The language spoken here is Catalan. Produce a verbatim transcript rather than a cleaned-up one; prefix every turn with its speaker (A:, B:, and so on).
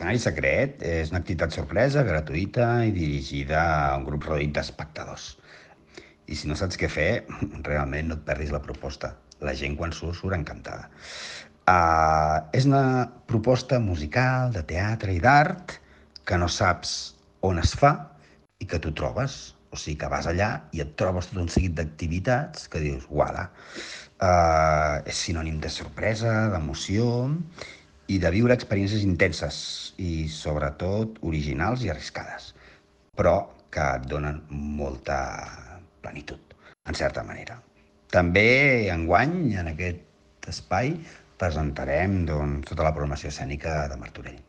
A: Escenari Secret és una activitat sorpresa, gratuïta i dirigida a un grup reduït d'espectadors. I si no saps què fer, realment no et perdis la proposta. La gent quan surt surt encantada. Uh, és una proposta musical, de teatre i d'art que no saps on es fa i que tu trobes. O sigui que vas allà i et trobes tot un seguit d'activitats que dius, uala, uh, és sinònim de sorpresa, d'emoció i de viure experiències intenses i sobretot originals i arriscades, però que et donen molta plenitud, en certa manera. També enguany, en aquest espai, presentarem doncs, tota la programació escènica de Martorell.